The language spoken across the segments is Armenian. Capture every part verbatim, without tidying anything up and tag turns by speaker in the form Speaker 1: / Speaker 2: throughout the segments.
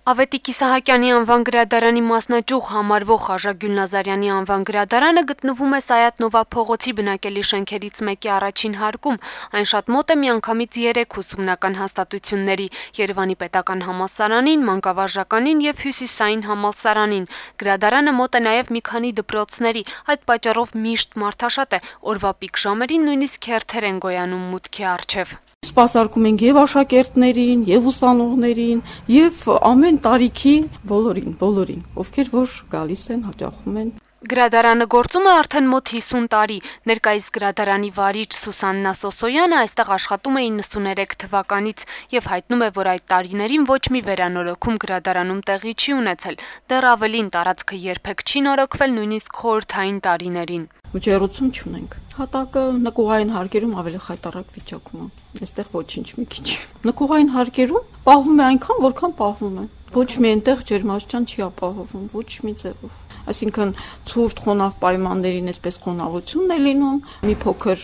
Speaker 1: Ավետիք Իսահակյանի անվան գրադարանի մասնաճյուղ համարվող Խաժա Գյուլնազարյանի անվան գրադարանը գտնվում է Սայաթ Նովա փողոցի բնակելի շենքերից մեկի առաջին հարկում։ Այն շատ մոտ է միանգամից երեք ուսումնական հաստատությունների՝ Երևանի պետական համալսարանին, մանկավարժականին և Հյուսիսային համալսարանին։ Գրադարանը մոտ է նաև մի քանի դպրոցների, այդ պատճառով միշտ մարդաշատ է, օրվա պիկ ժամերին նույնիսկ հերթեր են գոյանում մուտքի առջև։
Speaker 2: Սպասարկում ենք եւ աշակերտներին, եւ ուսանողներին, եւ ամեն տարիքի բոլորին, բոլորին, ովքեր որ գալիս են, հաճախում են։
Speaker 1: Գրադարանը գործում է արդեն մոտ հիսուն տարի։ Ներկայիս գրադարանի վարիչ Սուսաննա Սոսոյանը այստեղ աշխատում է իննսուներեք թվականից եւ հայտնում է, որ այդ տարիներին ոչ մի վերանորոգում գրադարանում տեղի չի ունեցել։ Դեռ ավելին, տարածքը երբեք չի նորոգվել նույնիսկ խորհրդային տարիներին։
Speaker 2: Ջերուցում չունենք։ Հատակը նկուղային հարկերում ավելի խայտառակ վիճակում է։ Այստեղ ոչինչ մի քիչ։ Նկուղային հարկերում պահվում է այնքան, որքան պահվում է։ Ոչ մի այնտեղ ջերմաստիճան չի ապահովում, ոչ մի ձևով։ Այսինքն ցուրտ խոնավ պայմաններին այսպես խոնավությունն է լինում, մի փոքր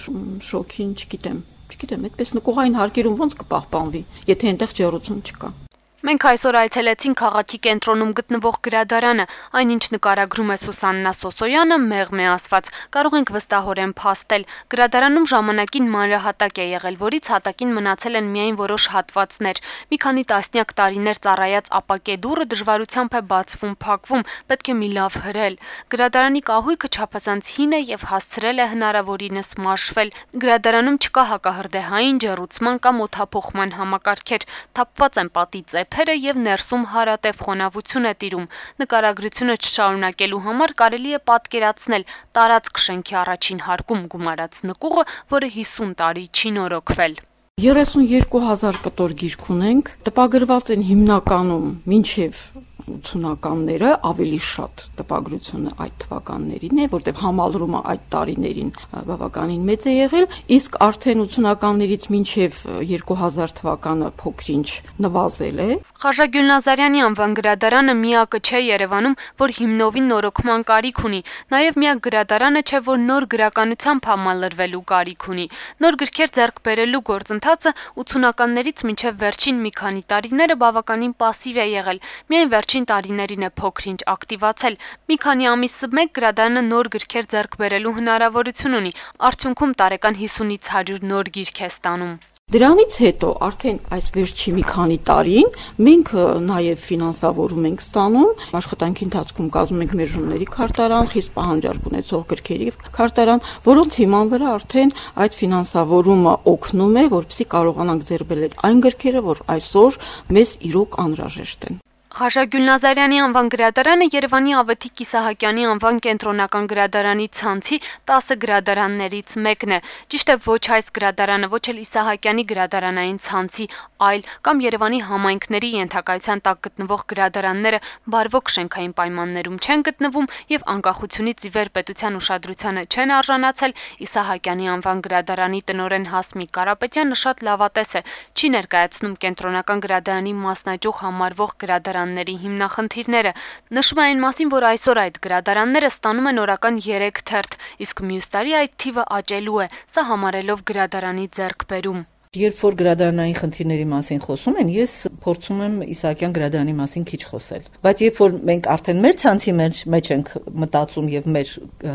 Speaker 2: շոքին, չգիտեմ, չգիտեմ, այդպես նկուղային հարկերում ոնց կպահպանվի, եթե այնտեղ ջերուցում չկա։
Speaker 1: Մենք այսօր այցելեցինք քաղաքի կենտրոնում գտնվող գրադարանը, այնինչ նկարագրում է Սուսաննա Սոսոյանը, մեղմ է ասված, կարող ենք վստահորեն փաստել։ Գրադարանում ժամանակին մանրահատակ է եղել, որից հատակին մնացել են միայն որոշ հատվածներ։ Մի քանի տասնյակ տարիներ ծառայած ապակե դուռը դժվարությամբ է բացվում, փակվում, պետք է մի լավ հրել։ Գրադարանի կահույքը չափազանց հին է եւ հասցրել է հնարավորինս մաշվել։ Գրադարանում չկա հակահրդեհային ջեռուցման կամ օդափոխման համակարգեր, թափված են պատի ծեփերը եւ ներսում հարատև խոնավություն է տիրում։ Նկարագրությունը չշարունակելու համար կարելի է պատկերացնել տարածք շենքի առաջին հարկում գումարած նկուղը, որը հիսուն տարի չի նորոգվել։
Speaker 2: երեսունյոթ հազար կտոր գիրք ունենք, տպագրված են հիմնականում մինչև ութսունականները, ավելի շատ տպագրությունը այդ թվականներին է, որտեղ համալրումը այդ տարիներին բավականին մեծ է եղել, իսկ արդեն ութսունականներից մինչև երկու հազար թվականը փոքրինչ նվազել է։
Speaker 1: Խաժա Գյուլնազարյանի անվան գրադարանը միակը չէ Երևանում, որ հիմնովին նորոգման կարիք ունի, նաև միակ գրադարանը չէ, որ նոր գրականությամբ համալրվելու կարիք ունի։ Նոր գրքեր ձեռք բերելու գործընթացը ութսունականներից մինչև վերջին մի քանի տարիները բավականին պասիվ է եղել։ Միայն վերջին տարիներին է փոքրինչ ակտիվացել։ Մի քանի ամիսը մեկ գրադարանը նոր գրքեր ձեռք բերելու հնարավորություն ունի։ Արդյունքում տարեկան հիսունից հարյուր նոր գիրք է ստանում։
Speaker 2: Դրանից հետո արդեն այս վերջի մի քանի տարին մենք նաև ֆինանսավորում ենք ստանում, աշխատանքի ընթացքում կազմում ենք մերժումների քարտարան, խիստ պահանջարկ ունեցող գրքերի քարտարան, որոնց հիման վրա արդեն այդ ֆինանսավորումը օգնում է, որպեսզի կարողանանք ձեռք բերել այն գրքերը, որ այսօր մեզ իրոք անհրաժեշտ են։
Speaker 1: Խաժա Գյուլնազարյանի անվան գրադարանը Երևանի Ավետիք Իսահակյանի անվան կենտրոնական գրադարանի ցանցի տասը գրադարաններից մեկն է։ Ճիշտ է, ոչ այս գրադարանը, ոչ էլ Իսահակյանի գրադարանային ցանցի, այլ կամ Երևանի համայնքների ենթակայության տակ գտնվող գրադարանները բարվոք շենքային պայմաններում չեն գտնվում եւ անկախությունից ի վեր պետության ուշադրությանը չեն արժանացել, Իսահակյանի անվան գրադարանի տնօրեն Հասմիկ Կարապետյանը շատ լավատես է, չի ներկայացնում կենտրոնական գրադարանի մասնաճյուղ համարվող գրադարանների հիմնախնդիրները։ Նշում է այն մասին, որ այսօր այդ գրադարանները ստանում են օրական երեք թերթ, իսկ մյուս տարի այդ թիվը աճելու է, սա համարելով գրադարանի ձեռքբերում։
Speaker 3: Երբ որ գրադարանային խնդիրների մասին խոսում են, ես փորձում եմ Իսահակյան գրադարանի մասին քիչ խոսել։ Բայց երբ որ մենք արդեն մեր ցանցի մեջ մեջ ենք մտածում եւ մեր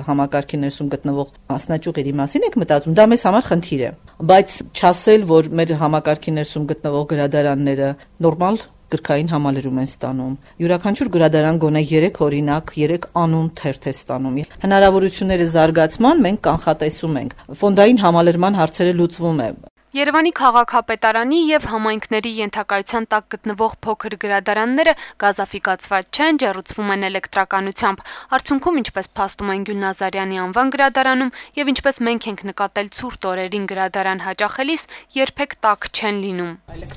Speaker 3: համակարգի ներսում գտնվող մասնաճյուղերի մասին ենք մտածում, դա մեզ համար խնդիր է։ Բայց չասել, որ մեր համակարգի ներսում գտնվող գրադարանները նորմալ գրքային համալրում են ստանում։ Յուրաքանչյուր գրադարան գոնե երեք օրինակ, երեք անուն թերթ է ստանում։ Հնարավորությունների զարգացման մենք կանխատեսում ենք։ Ֆոնդային համալրման հարցերը լուծվում է։
Speaker 1: Երևանի քաղաքապետարանի եւ համայնքների ենթակայության տակ գտնվող փոքր գրադարանները գազաֆիկացված չեն, ջեռուցվում են էլեկտրականությամբ։ Արդյունքում, ինչպես փաստում են Գյուլնազարյանի անվան գրադարանում եւ ինչպես մենք ենք նկատել ցուրտ օրերին գրադարան հաճախելիս, երբեք տաք չեն լինում։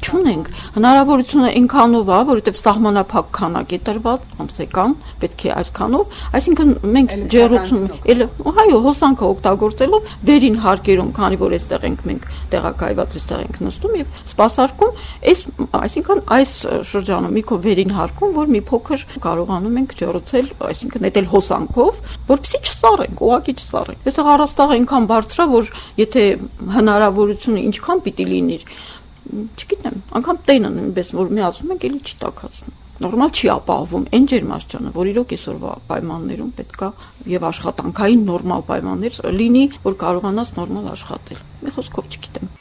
Speaker 2: Չունենք հնարավորությունը այնքանով է, որովհետեւ սահմանափակ քանակ է տրված, ամսական, պետք է այսքանով, այսինքն մենք ջեռուցում, էլ այո, հոսանքը օգտագործելով վերին հարկերում, քանի որ այստեղ ենք մենք տեղակ այված էստեղ ենք նստում եւ սպասարկում, այս այսինքն այս շրջանում մի քո վերին հարկում, որ մի փոքր կարողանում ենք ջեռուցել, այսինքն նետել հոսանքով, որպեսզի չսառենք, ուղղակի չսառենք։ Այստեղ առաստաղը այնքան բարձր է, որ եթե հնարավորությունը ինչքան պիտի լինի, չգիտեմ, անգամ տենը նույնպես որ միացում ենք, էլի չի տաքացնում։ նորմալ չի ապահովում այն ջերմաստիճանը, որ իրոք այսօրվա պայմաններում պետքա եւ աշխատանքային նորմալ պայմաններ լինի, որ կարողանաս նորմալ աշխատել։ Մի խոսքով չգիտեմ։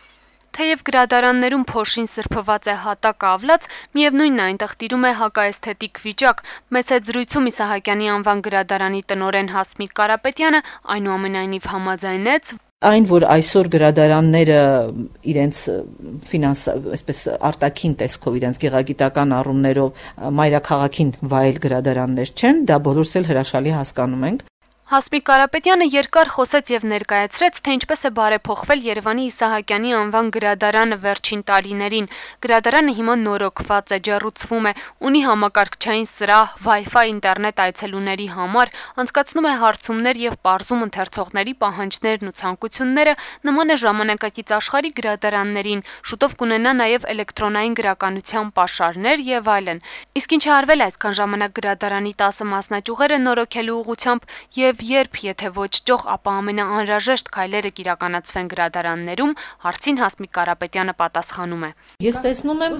Speaker 1: Թեև գրադարաններում փոշին սրբված է հատակ ավլած, միևնույնն է այնտեղ տիրում է հակաէսթետիկ վիճակ։ Մեծ հետ զրույցում Իսահակյանի անվան գրադարանի տնօրեն Հասմիկ Կարապետյանը այնուամենայնիվ համաձայնեց,
Speaker 3: Այն, որ այսօր գրադարանները իրենց ֆինանս, այսպես արտաքին տեսքով, իրենց գեղագիտական առումներով մայրաքաղաքին վայել գրադարաններ չեն, դա բոլորս էլ հրաշալի հասկանում ենք։
Speaker 1: Հասմիկ Կարապետյանը երկար խոսեց եւ ներկայացրեց, թե ինչպես է բարեփոխվել Երևանի Իսահակյանի անվան գրադարանը վերջին տարիներին։ Գրադարանը հիմա նորոգված է, ջեռուցվում է, ունի համակարգչային սրահ, Wi-Fi ինտերնետ այցելուների համար, անցկացնում է հարցումներ եւ պարզում ընթերցողների պահանջներն ու ցանկությունները, նման է ժամանակակից աշխարհի գրադարաններին, շուտով կունենա նաեւ էլեկտրոնային գրականության պաշարներ եւ այլն։ Իսկ ինչ է արվել այսքան ժամանակ գրադարանի տասը մասնաճյուղերը նորոգելու ուղղությամբ եւ երբ, եթե ոչ ճոխ, ապա ամենաանհրաժեշտ քայլերը կիրականացվեն գրադարաններում, հարցին Հասմիկ Կարապետյանը պատասխանում է։
Speaker 3: Ես տեսնում եմ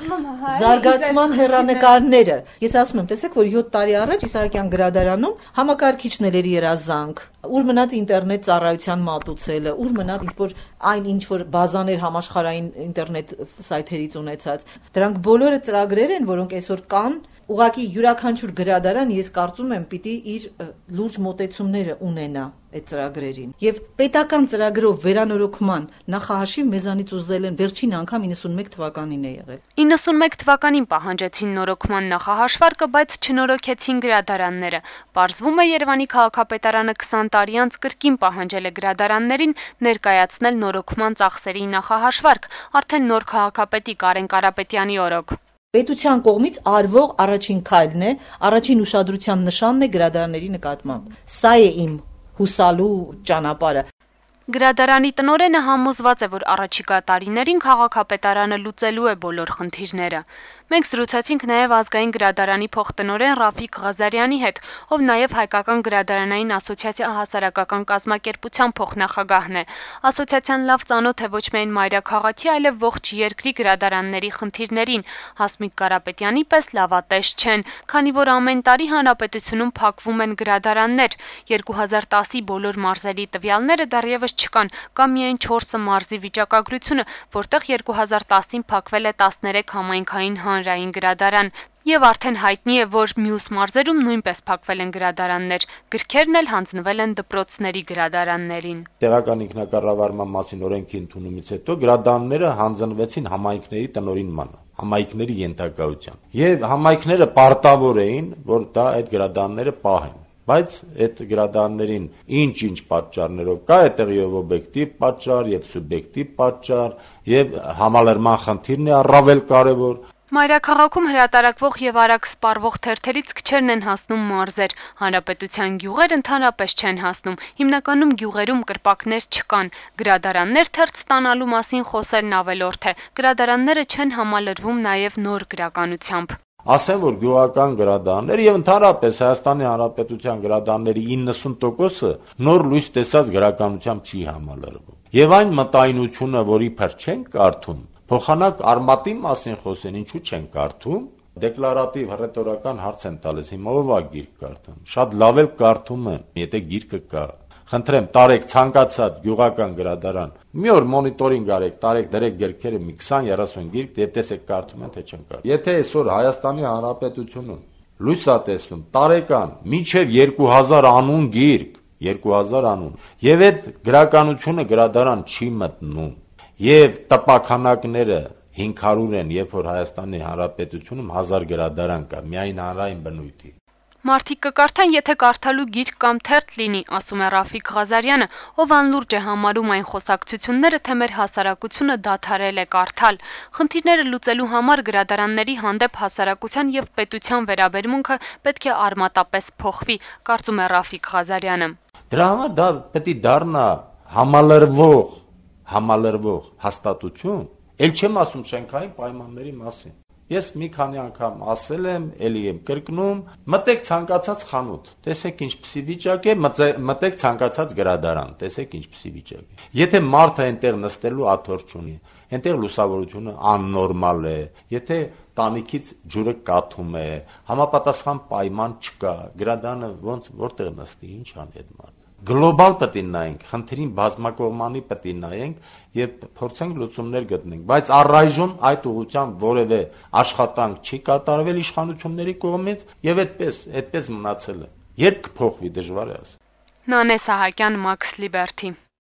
Speaker 3: զարգացման հեռանկարները։ Ես ասում եմ, տեսեք, որ յոթ տարի առաջ Իսահակյան գրադարանում համակարգիչներ էր երազանք, ուր մնաց ինտերնետ ծառայության մատուցելը, ուր մնաց ինչ-որ այն ինչ-որ բազաներ համաշխարհային ինտերնետ սայթերից ունեցած։ Դրանք բոլորը ծրագրեր են, որոնք այսօր կան։ Ուղղակի յուրաքանչյուր գրադարան, ես կարծում եմ, պիտի իր լուրջ մոտեցումները ունենա այդ ծրագրերին։ Եվ պետական ծրագրով վերանորոգման նախահաշիվ մեզանից ուզել են վերջին անգամ իննսունմեկ թվականին է եղել։
Speaker 1: իննսունմեկ թվականին պահանջեցին նորոգման նախահաշվարկը, բայց չնորոգեցին գրադարանները։ Պարզվում է, Երևանի քաղաքապետարանը քսան տարի անց կրկին պահանջել է գրադարաններին ներկայացնել նորոգման ծախսերի նախահաշվարկ, արդեն նոր քաղաքապետի Կարեն Կարապետյանի օրոք։
Speaker 3: Պետության կողմից արվող առաջին քայլն է, առաջին ուշադրության նշանն է գրադարանների նկատմամբ։ Սա է իմ հուսալու ճանապարհը։
Speaker 1: Գրադարանի տնօրենը համոզված է, որ առաջիկա տարիներին քաղաքապետարանը լուծելու է բոլոր խնդիրները։ Մենք զրուցեցինք նաև ազգային գրադարանի փոխտնօրեն Ռաֆիկ Ղազարյանի հետ, ով նաև Հայկական գրադարանային ասոցիացիա հասարակական կազմակերպության փոխնախագահն է։ Ասոցիացիան լավ ծանոթ է ոչ միայն մայրաքաղաքի, այլև ողջ երկրի գրադարանների խնդիրներին։ Հասմիկ Կարապետյանի պես լավատես չեն, քանի որ ամեն տարի հանրապետությունում փակվում են գրադարաններ։ երկու հազար տասի բոլոր մարզերի տվյալները դեռևս չկան, կա միայն չորս մարզի վիճակագրությունը, որտեղ երկու հազար տասին փակվել է տասներեք համայնքային հանրային գրադարան, եւ արդեն հայտնի է, որ մյուս մարզերում նույնպես փակվել են գրադարաններ, գրքերն էլ հանձնվել են դպրոցների գրադարաններին։
Speaker 4: Տեղական ինքնակառավարման մասին օրենքի ընդունումից հետո գրադարանները հանձնվեցին համայնքների տնօրինմանը, համայնքների ենթակայության, եւ համայնքները պարտավոր էին, որ դա այդ գրադարանները պահեն։ Բայց այդ գրադարաններին ինչ-ինչ պատճառներով կա, այդտեղով օբյեկտիվ պատճառ եւ սուբյեկտիվ պատճառ եւ համալրման խնդիրն է առավել կարեւոր։
Speaker 1: Մայրաքաղաքում հրատարակվող եւ արագ սպառվող թերթերից քչերն են հասնում մարզեր, հանրապետության գյուղեր ընդհանրապես չեն հասնում, հիմնականում գյուղերում կրպակներ չկան, գրադարաններ թերթ ստանալու մասին խոսելն ավելորդ է, գրադարանները չեն համալրվում նաեւ նոր գրականությամբ։
Speaker 4: Ասեմ, որ գյուղական գրադարաններ եւ ընդհանրապես Հայաստանի Հանրապետության գրադարանների իննսուն տոկոսը նոր լույս տեսած գրականությամբ չի համալրվում։ Եվ այն մտայնությունը, որի փր չեն կարդում, փոխանակ արմատի մասին խոսեն, ինչու չեն կարդում, դեկլարատիվ հռետորական հարց են տալիս, հիմա ով է գիրք կարդում։ Շատ լավ էլ կարդում եմ, եթե գիրքը կա։ Խնդրեմ, տարեք ցանկացած գյուղական գրադարան, մի օր մոնիտորինգ արեք, տարեք դրեք գրքերը մի քսան երեսուն գիրք, եւ տեսեք կարդում են թե չեն կարդում։ Եթե այսօր Հայաստանի Հանրապետությունում լույս է տեսնում տարեկան մինչեւ երկու հազար անուն գիրք, երկու հազար անուն, եւ այդ գրականությունը գրադարան չի մտնում, եւ տպաքանակները հինգ հարյուր են, երբ որ Հայաստանի Հանրապետությունում հազար գրադարան կա, միայն հանրային բնույթի։
Speaker 1: Մարդիկ կկարդան, եթե կարդալու գիրք կամ թերթ լինի, ասում է Ռաֆիկ Ղազարյանը, ով անլուրջ է համարում այն խոսակցությունները, թե մեր հասարակությունը դադարել է կարդալ։ Խնդիրները լուծելու համար գրադարանների հանդեպ հասարակության եւ պետության վերաբերմունքը պետք է արմատապես փոխվի, կարծում է Ռաֆիկ Ղազարյանը։
Speaker 4: Դրա համար դա պետք է դառնա համալրվող, համալրվող հաստատություն, ել չեմ ասում շենքային պայմանների մասին։ Ես մի քանի անգամ ասել եմ, էլի եմ կրկնում, մտեք ցանկացած խանութ, տեսեք ինչպիսի վիճակ է, մտեք ցանկացած գրադարան, տեսեք ինչպիսի վիճակ է։ Եթե մարդը այնտեղ նստելու աթոռ չունի, այնտեղ լուսավորությունը աննորմալ է, եթե տանիքից ջուրը կաթում է, համապատասխան պայման չկա, գրադարանը ոնց որտեղ նստի, ինչ անի այդ մարդը։ Գլոբալ պետք է նայենք, խնդրին բազմակողմանի պետք է նայենք եւ փորձենք լուծումներ գտնենք, բայց առայժմ այդ ուղղությամբ որևէ աշխատանք չի կատարվել իշխանությունների կողմից եւ այդպես, այդպես մնացել է։ Երբ կփոխվի, դժվար է ասել։
Speaker 1: Նանե Սահակյան, Մաքս Լիբերթի։